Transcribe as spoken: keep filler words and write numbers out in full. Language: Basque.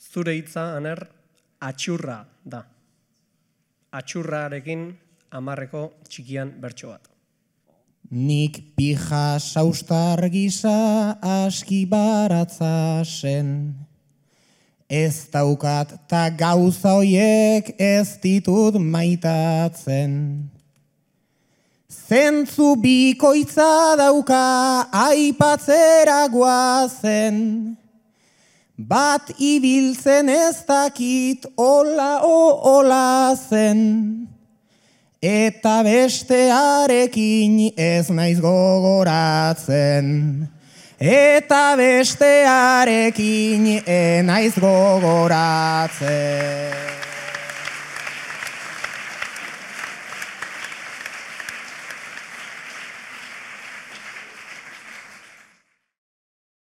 zure hitza, Aner, atxurra da. Atxurrarekin hamarreko txikian bertso bat. Nik pija saustar gisa aski baratza zen. Ez daukat ta gauza hoiek ez ditut maitatzen. Zentzu bikoitza dauka aipatzera guazen. Bat ibiltzen ez dakit ola o ola zen. Eta bestearekin ez naiz gogoratzen. Eta bestearekin ez naiz gogoratzen.